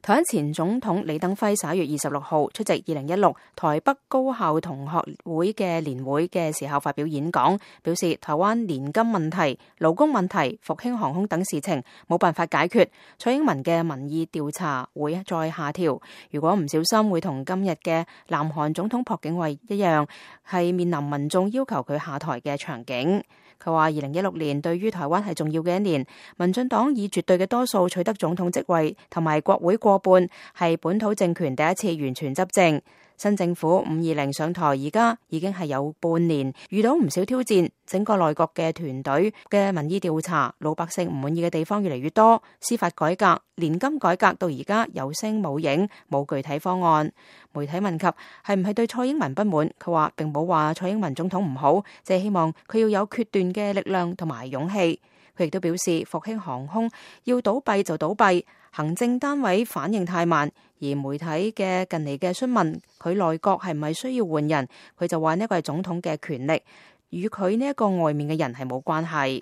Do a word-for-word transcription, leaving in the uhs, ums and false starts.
台灣前總統李登輝十一月二十六號出席二零一六台北高校同學會嘅年會嘅時候發表演講，表示台灣年金問題、勞工問題、復興航空等事情冇辦法解決，蔡英文嘅民意調查會再下調，如果唔小心會同今日嘅南韓總統朴槿惠一樣，係面臨民眾要求佢下台嘅場景。佢話二零一六年對於台灣係重要嘅一年，民進黨以絕對嘅多數取得總統職位同埋國會過半，係本土政權第一次完全執政。新政府五二零上台，而家已經係有半年，遇到唔少挑戰，整個內閣嘅團隊嘅民意調查，老百姓唔滿意嘅地方越嚟越多，司法改革、年金改革到而家有聲冇影，冇具體方案。媒體問及係唔係對蔡英文不滿，佢話並冇話蔡英文總統唔好，只係希望佢要有決斷嘅力量同埋勇氣。佢亦都表示復興航空要倒閉就倒閉，行政單位反應太慢，而媒體嘅近嚟嘅詢問佢內閣係唔係需要換人，佢就話呢個係總統嘅權力，與佢呢一個外面嘅人係冇關係。